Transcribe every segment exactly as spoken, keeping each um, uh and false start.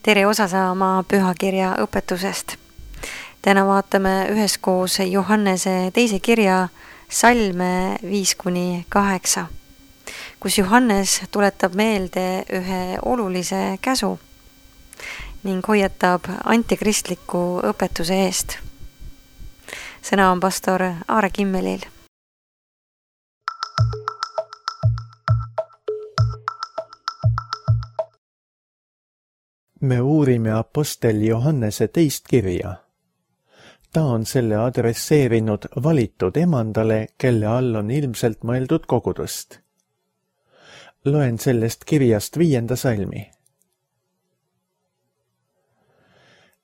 tere osa saama pühakirja õpetusest. Täna vaatame üheskoos Johannese teise kirja salme viis kuni kaheksa, kus Johannes tuletab meelde ühe olulise käsu ning hoiatab antikristliku õpetuse eest. Sõna on pastor Aare Kimmelil. Me uurime apostel Johannese teist kirja. Ta on selle adresseerinud valitud emandale, kelle all on ilmselt mõeldud kogudust. Loen sellest kirjast viienda salmi.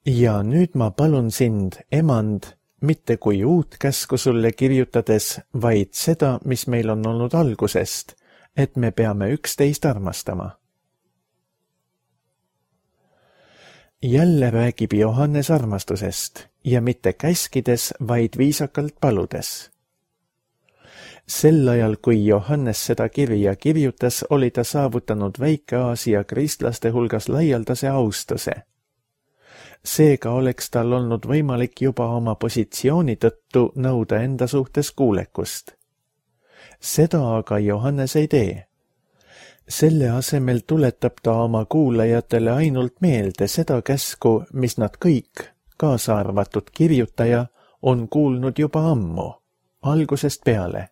Ja nüüd ma palun sind, emand, mitte kui uut käsku sulle kirjutades, vaid seda, mis meil on olnud algusest, et me peame üksteist armastama. Jälle räägib Johannes armastusest ja mitte käskides, vaid viisakalt paludes. Sel ajal, kui Johannes seda kirja kirjutas, oli ta saavutanud Väike-Aasia kristlaste hulgas laialdase austuse. Seega oleks tal olnud võimalik juba oma positsiooni tõttu nõuda enda suhtes kuulekust. Seda aga Johannes ei tee. Selle asemel tuletab ta oma kuulajatele ainult meelde seda käsku, mis nad kõik, kaasa arvatud kirjutaja, on kuulnud juba ammu, algusest peale.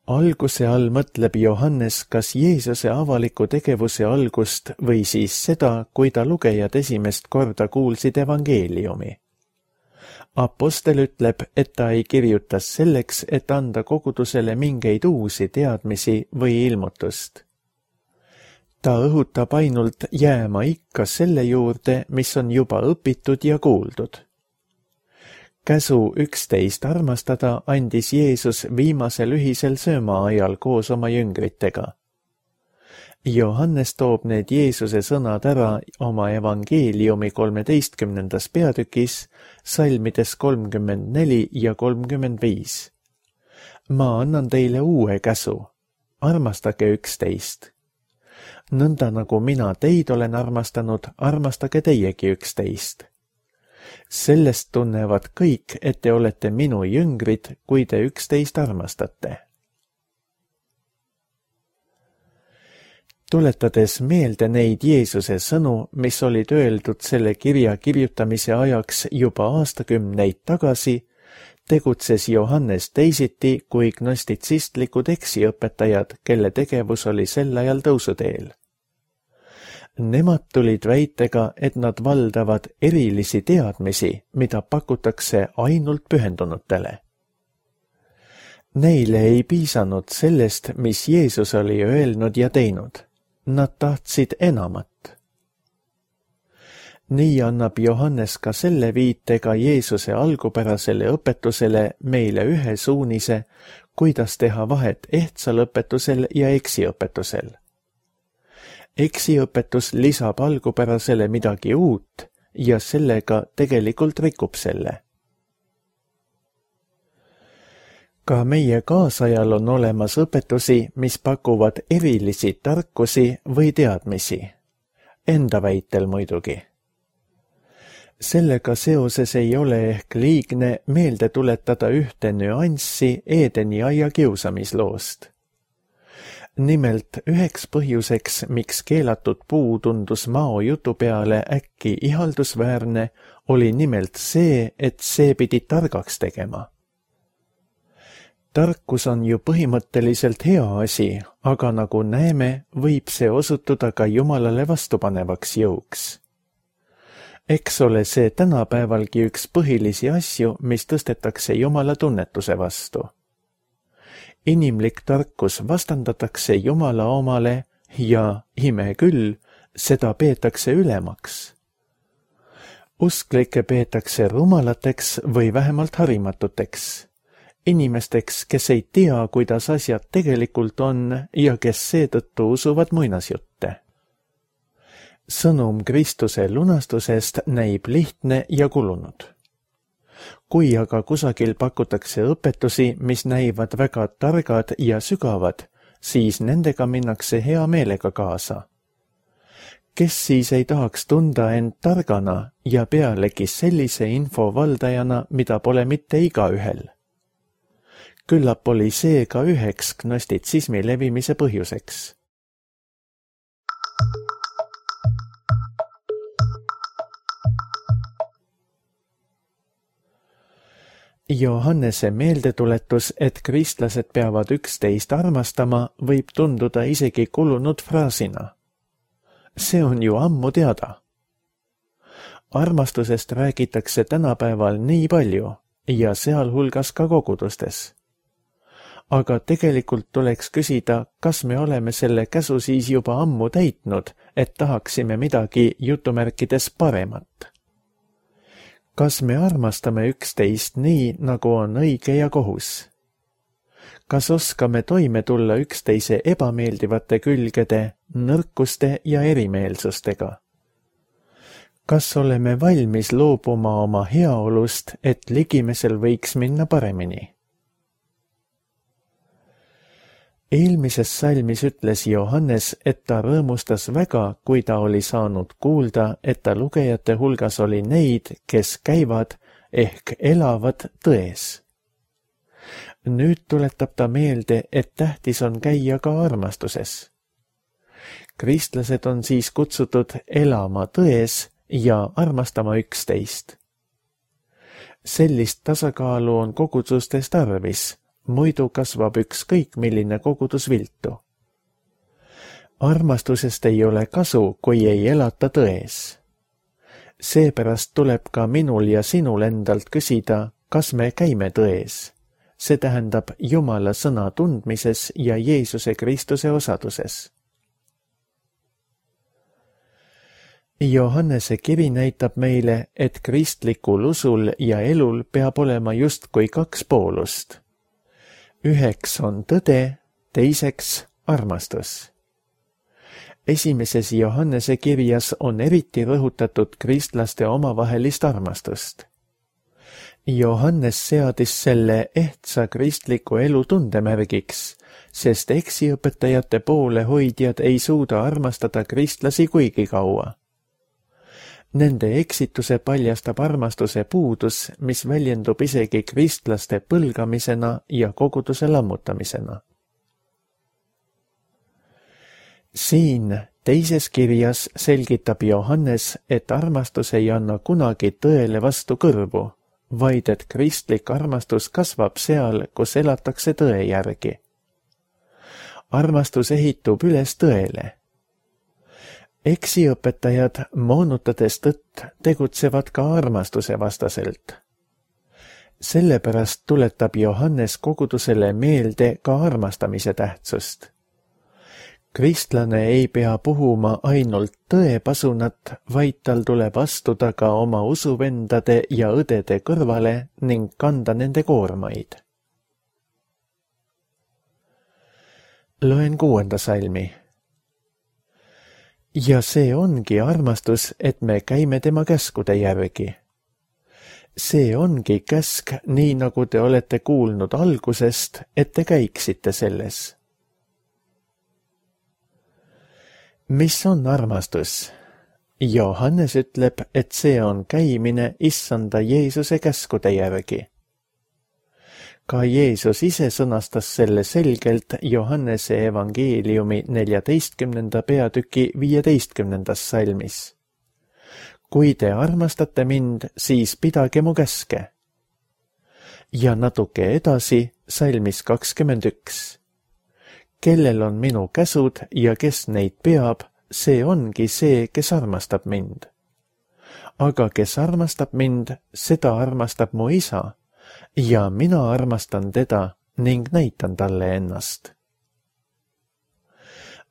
Alguse all mõtleb Johannes kas Jeesuse avaliku tegevuse algust või siis seda, kui ta lugejad esimest korda kuulsid evangeeliumi. Apostel ütleb, et ta ei kirjutas selleks, et anda kogudusele mingeid uusi teadmisi või ilmutust. Ta õhutab ainult jääma ikka selle juurde, mis on juba õpitud ja kuuldud. Käsu üksteist armastada andis Jeesus viimasel ühisel sööma ajal koos oma jüngritega. Johannes toob need Jeesuse sõnad ära oma evangeeliumi kolmeteistkümnendas peatükis, salmides kolmkümmend neli ja kolmkümmend viis. Ma annan teile uue käsu, armastage üksteist. Nõnda nagu mina teid olen armastanud, armastage teiegi üksteist. Sellest tunnevad kõik, et te olete minu jüngrid, kui te üksteist armastate. Tuletades meelde neid Jeesuse sõnu, mis olid öeldud selle kirja kirjutamise ajaks juba aastakümneid tagasi, tegutses Johannes teisiti kui gnostitsistlikud eksiõpetajad, kelle tegevus oli sel ajal tõusuteel. Nemad tulid väitega, et nad valdavad erilisi teadmisi, mida pakutakse ainult pühendunutele. Neile ei piisanud sellest, mis Jeesus oli öelnud ja teinud. Nad tahtsid enamat. Nii annab Johannes ka selle viitega Jeesuse algupärasele õpetusele meile ühe suunise, kuidas teha vahet ehtsal õpetusel ja eksiõpetusel. Eksiõpetus lisab algupärasele midagi uut ja sellega tegelikult rikub selle. Ka meie kaasajal on olemas õpetusi, mis pakuvad erilisi tarkusi või teadmisi. Enda väitel muidugi. Sellega seoses ei ole ehk liigne meelde tuletada ühte nüanssi Eedeni aia kiusamisloost. Nimelt üheks põhjuseks, miks keelatud puu tundus Mao jutu peale äkki ihaldusväärne, oli nimelt see, et see pidi targaks tegema. Tarkus on ju põhimõtteliselt hea asi, aga nagu näeme, võib see osutuda ka Jumalale vastupanevaks jõuks. Eks ole see tänapäevalgi üks põhilisi asju, mis tõstetakse Jumala tunnetuse vastu. Inimlik tarkus vastandatakse Jumala omale ja, ime küll, seda peetakse ülemaks. Usklikke peetakse rumalateks või vähemalt harimatuteks. Inimesteks, kes ei tea, kuidas asjad tegelikult on ja kes seetõttu usuvad muinasjutte. Sõnum Kristuse lunastusest näib lihtne ja kulunud. Kui aga kusagil pakutakse õpetusi, mis näivad väga targad ja sügavad, siis nendega minnakse hea meelega kaasa. Kes siis ei tahaks tunda end targana ja pealegi sellise info valdajana, mida pole mitte igaühel? Küllap oli see ka üheks gnostitsismi levimise põhjuseks. Johannese meeldetuletus, et kristlased peavad üksteist armastama, võib tunduda isegi kulunud fraasina. See on ju ammu teada. Armastusest räägitakse tänapäeval nii palju ja sealhulgas ka kogudustes. Aga tegelikult tuleks küsida, kas me oleme selle käsu siis juba ammu täitnud, et tahaksime midagi jutumärkides paremat. Kas me armastame üksteist nii, nagu on õige ja kohus? Kas oskame toime tulla üksteise ebameeldivate külgede, nõrkuste ja erimeelsustega? Kas oleme valmis loobuma oma heaolust, et ligimesel võiks minna paremini? Eelmises salmis ütles Johannes, et ta rõõmustas väga, kui ta oli saanud kuulda, et ta lugejate hulgas oli neid, kes käivad ehk elavad tões. Nüüd tuletab ta meelde, et tähtis on käia ka armastuses. Kristlased on siis kutsutud elama tões ja armastama üksteist. Sellist tasakaalu on kogudustes tarvis, muidu kasvab ükskõik milline kogudus viltu. Armastusest ei ole kasu, kui ei elata tões. Seepärast tuleb ka minul ja sinul endalt küsida, kas me käime tões. See tähendab Jumala sõna tundmises ja Jeesuse Kristuse osaduses. Johannese kiri näitab meile, et kristlikul usul ja elul peab olema justkui kaks poolust. Üheks on tõde, teiseks armastus. Esimeses Johannese kirjas on eriti rõhutatud kristlaste omavahelist armastust. Johannes seadis selle ehtsa kristliku elu tundemärgiks, sest eksiõpetajate poole hoidjad ei suuda armastada kristlasi kuigi kaua. Nende eksituse paljastab armastuse puudus, mis väljendub isegi kristlaste põlgamisena ja koguduse lammutamisena. Siin teises kirjas selgitab Johannes, et armastus ei anna kunagi tõele vastu kõrvu, vaid et kristlik armastus kasvab seal, kus elatakse tõe järgi. Armastus ehitub üles tõele. Eksiõpetajad, moonutades tõtt, tegutsevad ka armastuse vastaselt. Sellepärast tuletab Johannes kogudusele meelde ka armastamise tähtsust. Kristlane ei pea puhuma ainult tõepasunat, vaid tal tuleb astuda ka oma usuvendade ja õdede kõrvale ning kanda nende koormaid. Loen kuuenda salmi. Ja see ongi armastus, et me käime tema käskude järgi. See ongi käsk, nii nagu te olete kuulnud algusest, et te käiksite selles. Mis on armastus? Johannes ütleb, et see on käimine issanda Jeesuse käskude järgi. Ka Jeesus ise sõnastas selle selgelt Johannese evangeeliumi neljateistkümnenda peatüki viieteistkümnendas salmis. Kui te armastate mind, siis pidage mu käske. Ja natuke edasi salmis kakskümmend üks. Kellel on minu käsud ja kes neid peab, see ongi see, kes armastab mind. Aga kes armastab mind, seda armastab mu isa, ja mina armastan teda ning näitan talle ennast.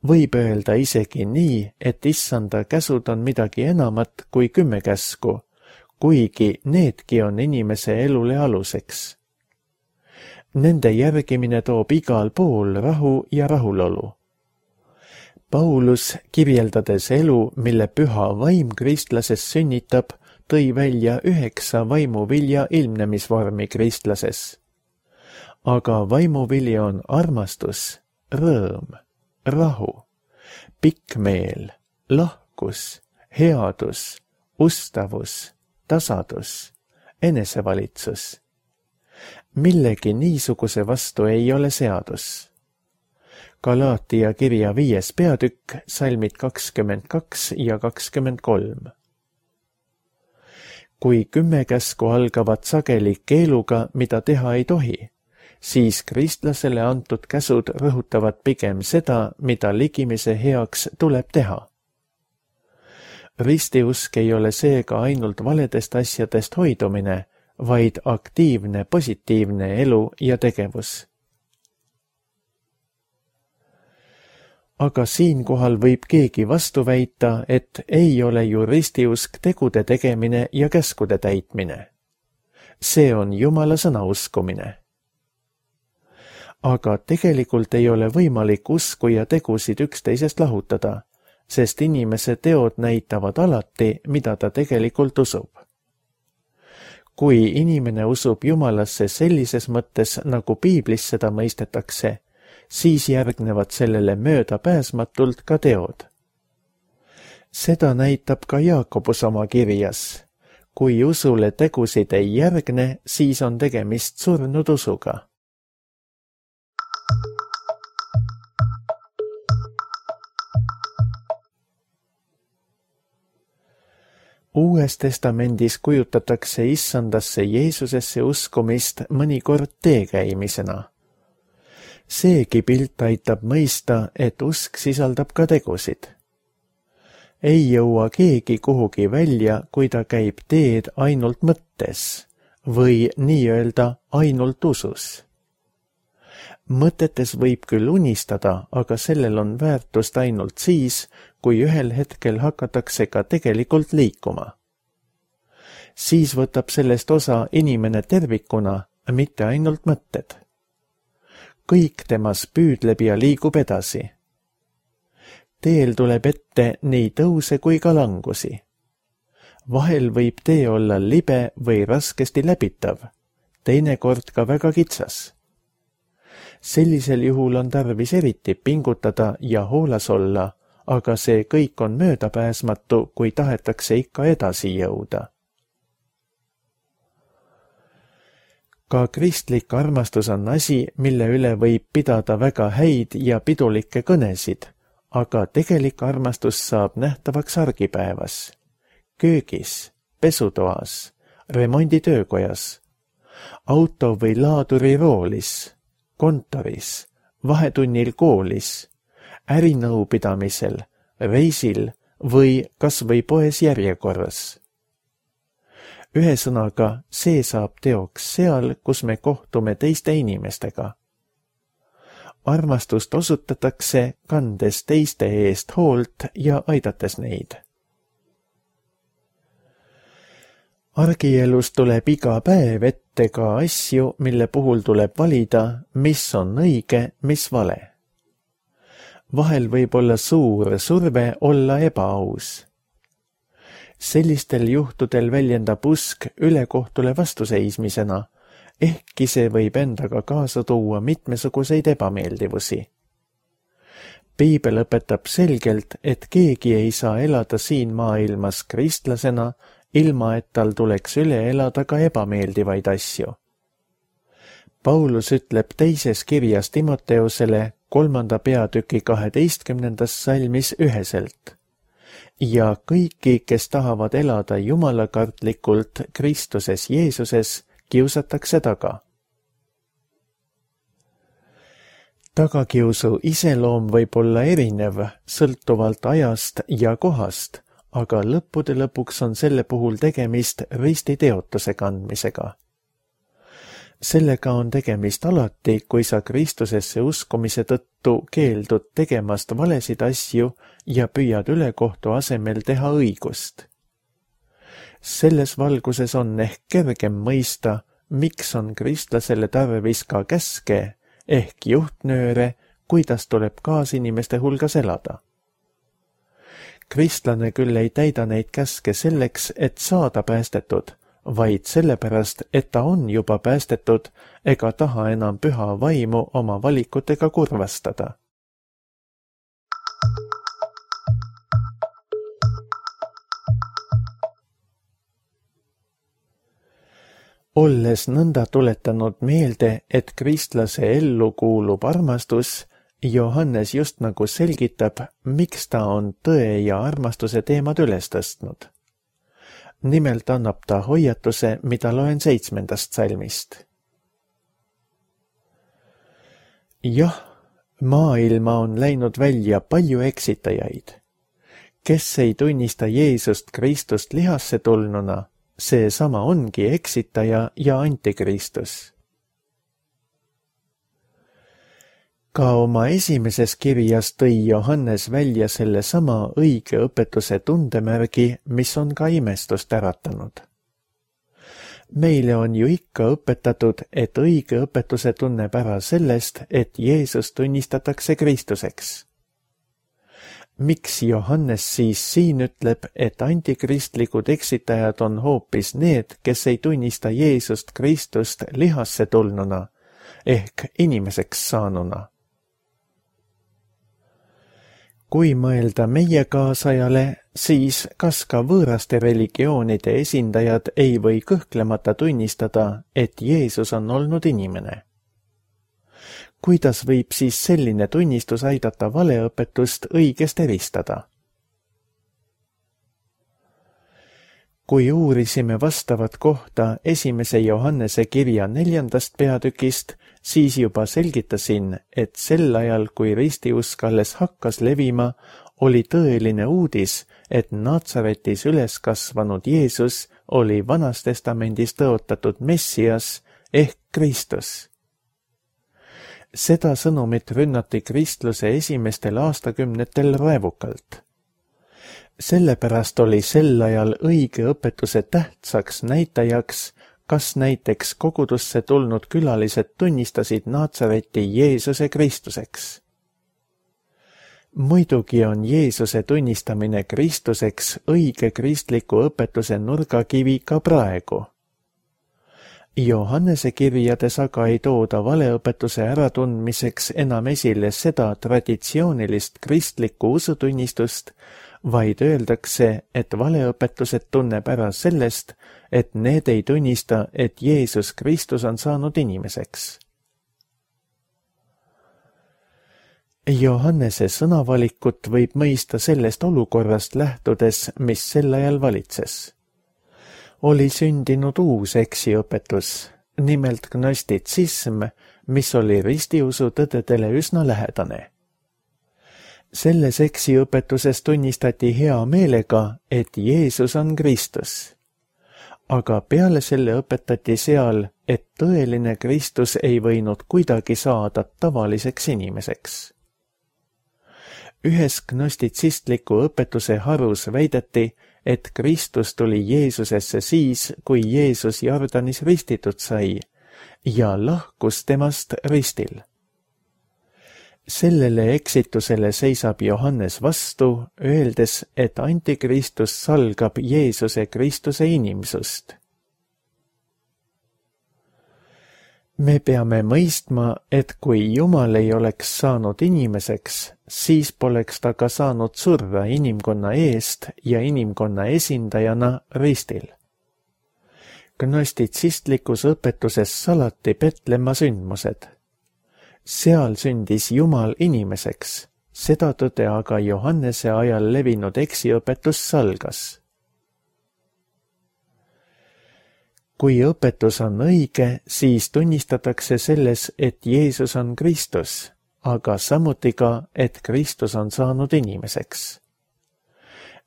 Võib öelda isegi nii, et issanda käsud on midagi enamat kui kümme käsku, kuigi needki on inimese elule aluseks. Nende järgimine toob igal pool rahu ja rahulolu. Paulus, kirjeldades elu, mille püha vaim kristlases sünnitab, tõi välja üheksa vaimuvilja ilmnemisvormi kristlases. Aga vaimuvili on armastus, rõõm, rahu, pikk meel, lahkus, headus, ustavus, tasadus, enesevalitsus. Millegi niisuguse vastu ei ole seadus. Galaatia kirja viies peatükk, salmid kakskümmend kaks ja kakskümmend kolm. Kui kümme käsku algavad sageli keeluga, mida teha ei tohi, siis kristlasele antud käsud rõhutavad pigem seda, mida ligimise heaks tuleb teha. Ristiusk ei ole seega ainult valedest asjadest hoidumine, vaid aktiivne positiivne elu ja tegevus. Aga siinkohal võib keegi vastu väita, et ei ole ju ristiusk tegude tegemine ja käskude täitmine. See on Jumala sõna uskumine. Aga tegelikult ei ole võimalik usku ja tegusid üksteisest lahutada, sest inimese teod näitavad alati, mida ta tegelikult usub. Kui inimene usub Jumalasse sellises mõttes, nagu piiblis seda mõistetakse, siis järgnevad sellele möödapääsmatult ka teod. Seda näitab ka Jaakobus oma kirjas. Kui usule tegusid ei järgne, siis on tegemist surnud usuga. Uues testamendis kujutatakse issandasse Jeesusesse uskumist mõnikord teekäimisena. Seegi pilt aitab mõista, et usk sisaldab ka tegusid. Ei jõua keegi kuhugi välja, kui ta käib teed ainult mõttes või nii-öelda ainult usus. Mõtetes võib küll unistada, aga sellel on väärtust ainult siis, kui ühel hetkel hakatakse ka tegelikult liikuma. Siis võtab sellest osa inimene tervikuna, mitte ainult mõtted. Kõik temas püüdleb ja liigub edasi. Teel tuleb ette nii tõuse kui ka langusi. Vahel võib tee olla libe või raskesti läbitav, teinekord ka väga kitsas. Sellisel juhul on tarvis eriti pingutada ja hoolas olla, aga see kõik on möödapääsmatu, kui tahetakse ikka edasi jõuda. Ka kristlik armastus on asi, mille üle võib pidada väga häid ja pidulikke kõnesid, aga tegelik armastus saab nähtavaks argipäevas, köögis, pesutoas, remonditöökojas, auto või laaduri roolis, kontoris, vahetunnil koolis, ärinõupidamisel, reisil või kas või poes järjekorras. Ühesõnaga, see saab teoks seal, kus me kohtume teiste inimestega. Armastust osutatakse, kandes teiste eest hoolt ja aidates neid. Argielus tuleb iga päev ette ka asju, mille puhul tuleb valida, mis on õige, mis vale. Vahel võib olla suur surve olla ebaaus. Sellistel juhtudel väljendab usk ülekohtule vastuseismisena, ehkki see võib endaga kaasa tuua mitmesuguseid ebameeldivusi. Piibel õpetab selgelt, et keegi ei saa elada siin maailmas kristlasena, ilma et tal tuleks üle elada ka ebameeldivaid asju. Paulus ütleb teises kirjas Timoteusele kolmanda peatüki kaheteistkümnendas salmis üheselt. Ja kõiki, kes tahavad elada jumalakartlikult Kristuses Jeesuses, kiusatakse taga. Tagakiusu iseloom võib olla erinev, sõltuvalt ajast ja kohast, aga lõppude lõpuks on selle puhul tegemist ristiteotuse kandmisega. Sellega on tegemist alati, kui sa Kristusesse uskumise tõttu keeldud tegemast valesid asju ja püüad ülekohtu asemel teha õigust. Selles valguses on ehk kergem mõista, miks on kristlasele tarvis ka käske ehk juhtnööre, kuidas tuleb kaasinimeste hulgas elada. Kristlane küll ei täida neid käske selleks, et saada päästetud, vaid sellepärast, et ta on juba päästetud ega taha enam püha vaimu oma valikutega kurvastada. Olles nõnda tuletanud meelde, et kristlase ellu kuulub armastus, Johannes just nagu selgitab, miks ta on tõe ja armastuse teemad üles tõstnud. Nimelt annab ta hoiatuse, mida loen seitsmendast salmist. Jah, maailma on läinud välja palju eksitajaid. Kes ei tunnista Jeesust Kristust lihasse tulnuna, see sama ongi eksitaja ja antikristus. Ka oma esimeses kirjas tõi Johannes välja selle sama õige õpetuse tundemärgi, mis on ka imestust äratanud. Meile on ju ikka õpetatud, et õige õpetuse tunneb ära sellest, et Jeesus tunnistatakse Kristuseks. Miks Johannes siis siin ütleb, et antikristlikud eksitajad on hoopis need, kes ei tunnista Jeesust Kristust lihasse tulnuna, ehk inimeseks saanuna? Kui mõelda meie kaasajale, siis kas ka võõraste religioonide esindajad ei või kõhklemata tunnistada, et Jeesus on olnud inimene? Kuidas võib siis selline tunnistus aidata valeõpetust õigest eristada? Kui uurisime vastavat kohta esimese Johannese kirja neljandast peatükist, siis juba selgitasin, et sel ajal, kui ristiusk alles hakkas levima, oli tõeline uudis, et Natsaretis üles kasvanud Jeesus oli Vanas Testamendis tõotatud Messias ehk Kristus. Seda sõnumit rünnati kristluse esimestel aastakümnetel raevukalt. Sellepärast oli sel ajal õige õpetuse tähtsaks näitajaks, kas näiteks kogudusse tulnud külalised tunnistasid Natsareti Jeesuse Kristuseks. Muidugi on Jeesuse tunnistamine Kristuseks õige kristliku õpetuse nurgakivi ka praegu. Johannese kirjades aga ei tooda valeõpetuse äratundmiseks enam esile seda traditsioonilist kristlikku usutunnistust, vaid öeldakse, et valeõpetused tunneb ära sellest, et need ei tunnista, et Jeesus Kristus on saanud inimeseks. Johannese sõnavalikut võib mõista sellest olukorrast lähtudes, mis sel ajal valitses. Oli sündinud uus eksiõpetus, nimelt gnostitsism, mis oli ristiusu tõdedele üsna lähedane. Selles eksiõpetuses tunnistati hea meelega, et Jeesus on Kristus. Aga peale selle õpetati seal, et tõeline Kristus ei võinud kuidagi saada tavaliseks inimeseks. Ühes gnostitsistliku õpetuse harus väideti, et Kristus tuli Jeesusesse siis, kui Jeesus Jordanis ristitud sai ja lahkus temast ristil. Sellele eksitusele seisab Johannes vastu, öeldes, et antikristus salgab Jeesuse Kristuse inimsust. Me peame mõistma, et kui Jumal ei oleks saanud inimeseks, siis poleks ta ka saanud surra inimkonna eest ja inimkonna esindajana ristil. Gnostitsistlikus õpetuses salati Petlemma sündmused. Seal sündis Jumal inimeseks, seda tõde aga Johannese ajal levinud eksiõpetus salgas. Kui õpetus on õige, siis tunnistatakse selles, et Jeesus on Kristus, aga samuti ka, et Kristus on saanud inimeseks.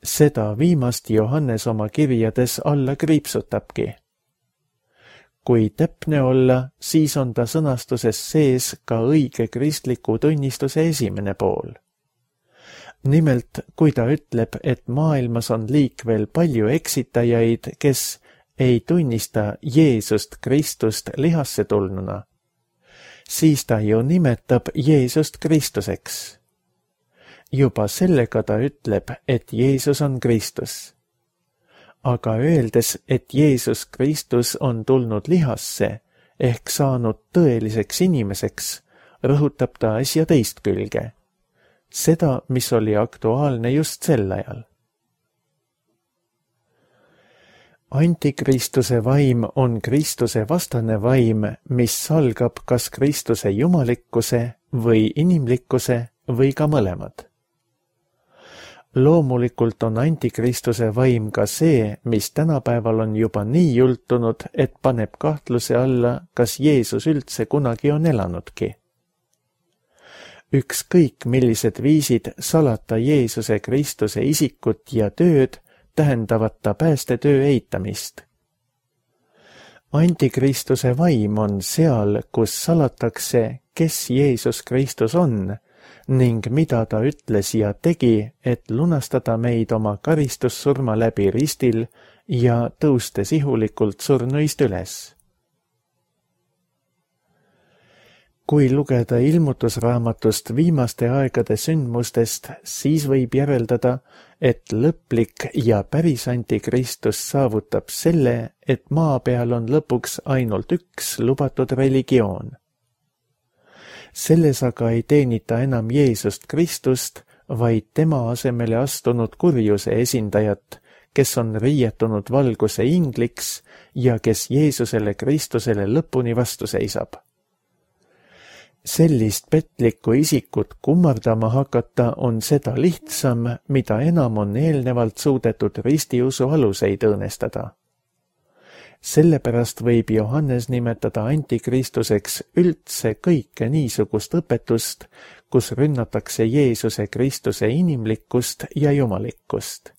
Seda viimast Johannes oma kirjades alla kriipsutabki. Kui täpne olla, siis on ta sõnastuses sees ka õige kristliku tunnistuse esimene pool. Nimelt, kui ta ütleb, et maailmas on liikvel palju eksitajaid, kes ei tunnista Jeesust Kristust lihasse tulnuna, siis ta ju nimetab Jeesust Kristuseks. Juba sellega ta ütleb, et Jeesus on Kristus. aga öeldes, et Jeesus Kristus on tulnud lihasse ehk saanud tõeliseks inimeseks, rõhutab ta asja teist külge, seda, mis oli aktuaalne just sel ajal. Antikristuse vaim on Kristuse vastane vaim, mis salgab kas Kristuse jumalikkuse või inimlikkuse või ka mõlemad. Loomulikult on antikristuse vaim ka see, mis tänapäeval on juba nii jultunud, et paneb kahtluse alla, kas Jeesus üldse kunagi on elanudki. Ükskõik millised viisid salata Jeesuse Kristuse isikut ja tööd, tähendavad ta päästetöö eitamist. Antikristuse vaim on seal, kus salatakse, kes Jeesus Kristus on ning mida ta ütles ja tegi, et lunastada meid oma karistussurma läbi ristil ja tõustes ihulikult surnuist üles. Kui lugeda ilmutusraamatust viimaste aegade sündmustest, siis võib järeldada, et lõplik ja päris antikristus saavutab selle, et maa peal on lõpuks ainult üks lubatud religioon. Selles aga ei teenita enam Jeesust Kristust, vaid tema asemele astunud kurjuse esindajat, kes on riietunud valguse ingliks ja kes Jeesusele Kristusele lõpuni vastu seisab. Sellist petlikku isikut kummardama hakata on seda lihtsam, mida enam on eelnevalt suudetud ristiusu aluseid õõnestada. Sellepärast võib Johannes nimetada antikristuseks üldse kõike niisugust õpetust, kus rünnatakse Jeesuse Kristuse inimlikkust ja jumalikkust.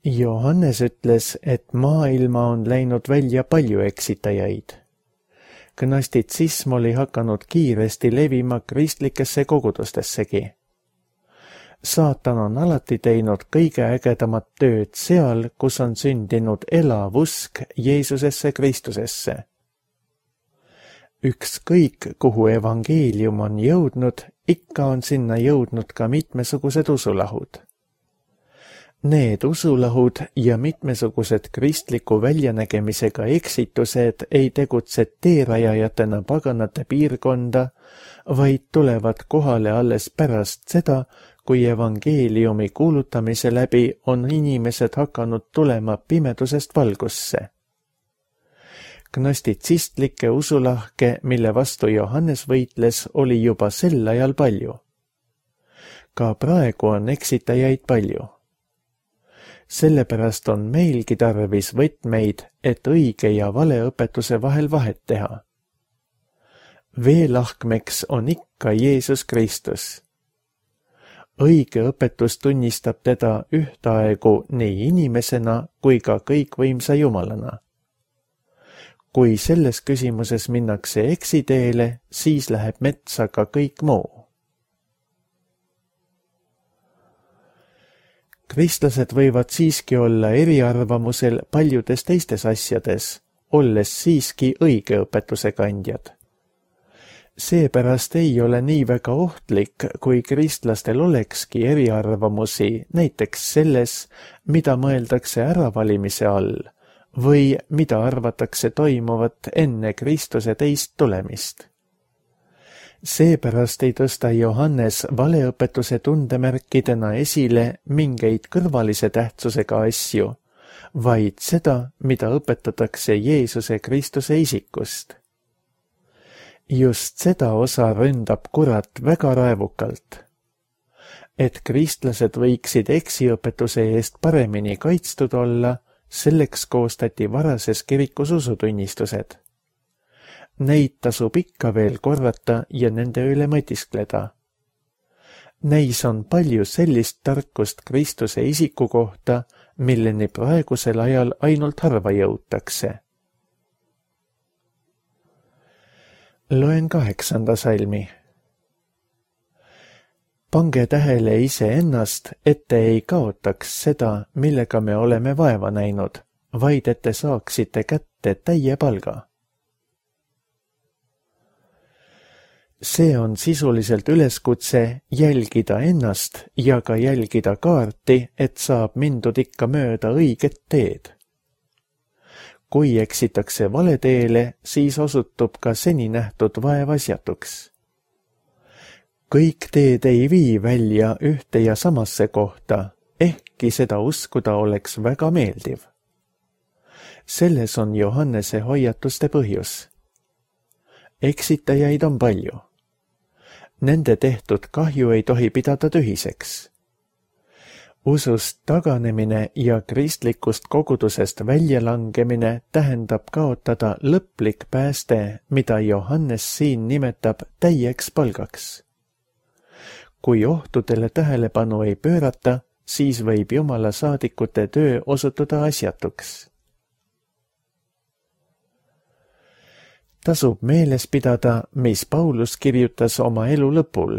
Johannes ütles, et maailma on läinud välja palju eksitajaid. Gnostitsism oli hakanud kiiresti levima kristlikesse kogudustessegi. Saatan on alati teinud kõige ägedamat tööd seal, kus on sündinud elav usk Jeesusesse Kristusesse. Ükskõik, kuhu evangeelium on jõudnud, ikka on sinna jõudnud ka mitmesugused usulahud. Need usulahud ja mitmesugused kristliku väljanägemisega eksitused ei tegutse teerajajatena paganate piirkonda, vaid tulevad kohale alles pärast seda, kui evangeeliumi kuulutamise läbi on inimesed hakanud tulema pimedusest valgusse. Gnostitsistlikke usulahke, mille vastu Johannes võitles, oli juba sel ajal palju. Ka praegu on eksitajaid palju. Sellepärast on meilgi tarvis võtmeid, et õige ja vale õpetuse vahel vahet teha. Veelahkmeks on ikka Jeesus Kristus. Õige õpetus tunnistab teda ühtaegu nii inimesena kui ka kõikvõimsa Jumalana. Kui selles küsimuses minnakse eksiteele, siis läheb metsa ka kõik muu. Kristlased võivad siiski olla eriarvamusel paljudes teistes asjades, olles siiski õige õpetuse kandjad. Seepärast ei ole nii väga ohtlik, kui kristlastel olekski eriarvamusi näiteks selles, mida mõeldakse äravalimise all või mida arvatakse toimuvat enne Kristuse teist tulemist. Seepärast ei tõsta Johannes valeõpetuse tundemärkidena esile mingeid kõrvalise tähtsusega asju, vaid seda, mida õpetatakse Jeesuse Kristuse isikust. Just seda osa ründab kurat väga raevukalt. Et kristlased võiksid eksiõpetuse eest paremini kaitstud olla, selleks koostati varases kirikus usutunnistused. Neid tasub ikka veel korrata ja nende üle mõtiskleda. Neis on palju sellist tarkust Kristuse isiku kohta, milleni praegusel ajal ainult harva jõutakse. Loen kaheksanda salmi. Pange tähele iseennast, et te ei kaotaks seda, millega me oleme vaeva näinud, vaid et te saaksite kätte täie palga. See on sisuliselt üleskutse jälgida ennast ja ka jälgida kaarti, et saab mindud ikka mööda õiget teed. Kui eksitakse vale teele, siis osutub ka seni nähtud vaevasjatuks. Kõik teed ei vii välja ühte ja samasse kohta, ehkki seda uskuda oleks väga meeldiv. Selles on Johannese hoiatuste põhjus. Eksitajaid on palju. Nende tehtud kahju ei tohi pidada tühiseks. Usust taganemine ja kristlikust kogudusest väljalangemine tähendab kaotada lõplik pääste, mida Johannes siin nimetab täieks palgaks. Kui ohtudele tähelepanu ei pöörata, siis võib Jumala saadikute töö osutuda asjatuks. Tasub meeles pidada, mis Paulus kirjutas oma elu lõpul,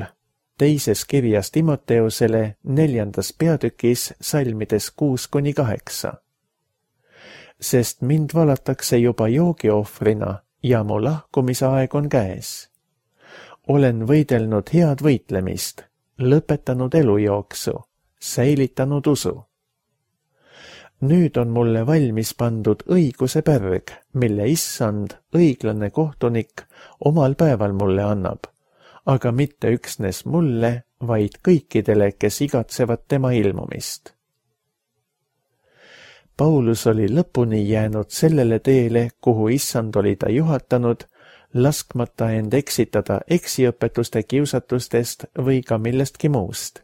teises kirjas Timoteusele neljandas peatükis salmides kuus kuni kaheksa. Sest mind valatakse juba joogiohvrina ja mu lahkumise aeg on käes. Olen võidelnud head võitlemist, lõpetanud elujooksu, säilitanud usu. Nüüd on mulle valmis pandud õiguse pärg, mille issand, õiglane kohtunik, omal päeval mulle annab, aga mitte üksnes mulle, vaid kõikidele, kes igatsevad tema ilmumist. Paulus oli lõpuni jäänud sellele teele, kuhu issand oli ta juhatanud, laskmata end eksitada eksiõpetuste kiusatustest või ka millestki muust.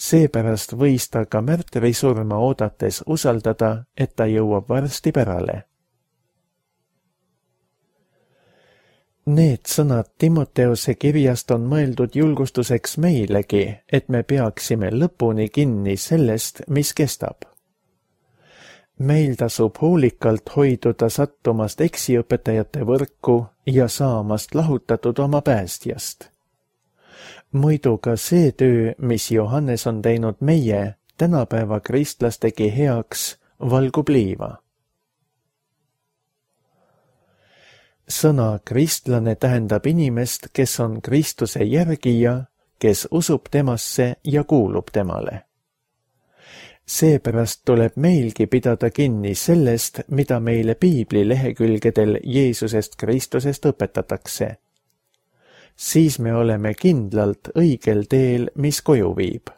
Seepärast võis ta ka märtrisurma oodates usaldada, et ta jõuab varsti pärale. Need sõnad Timoteuse kirjast on mõeldud julgustuseks meilegi, et me peaksime lõpuni kinni sellest, mis kestab. Meil tasub hoolikalt hoiduda sattumast eksiõpetajate võrku ja saamast lahutatud oma päästjast. Muidu ka see töö, mis Johannes on teinud meie, tänapäeva kristlastegi heaks, valgub liiva. Sõna kristlane tähendab inimest, kes on Kristuse järgija, kes usub temasse ja kuulub temale. Seepärast tuleb meilgi pidada kinni sellest, mida meile piibli lehekülgedel Jeesusest Kristusest õpetatakse. Siis me oleme kindlalt õigel teel, mis koju viib.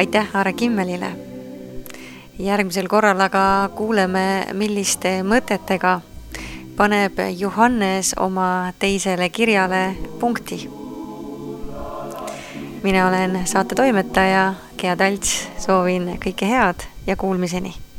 Aitäh Aare Kimmelile. Järgmisel korral aga kuuleme, milliste mõtetega paneb Johannes oma teisele kirjale punkti. Mina olen saate toimetaja Gea Talts, soovin kõike head ja kuulmiseni.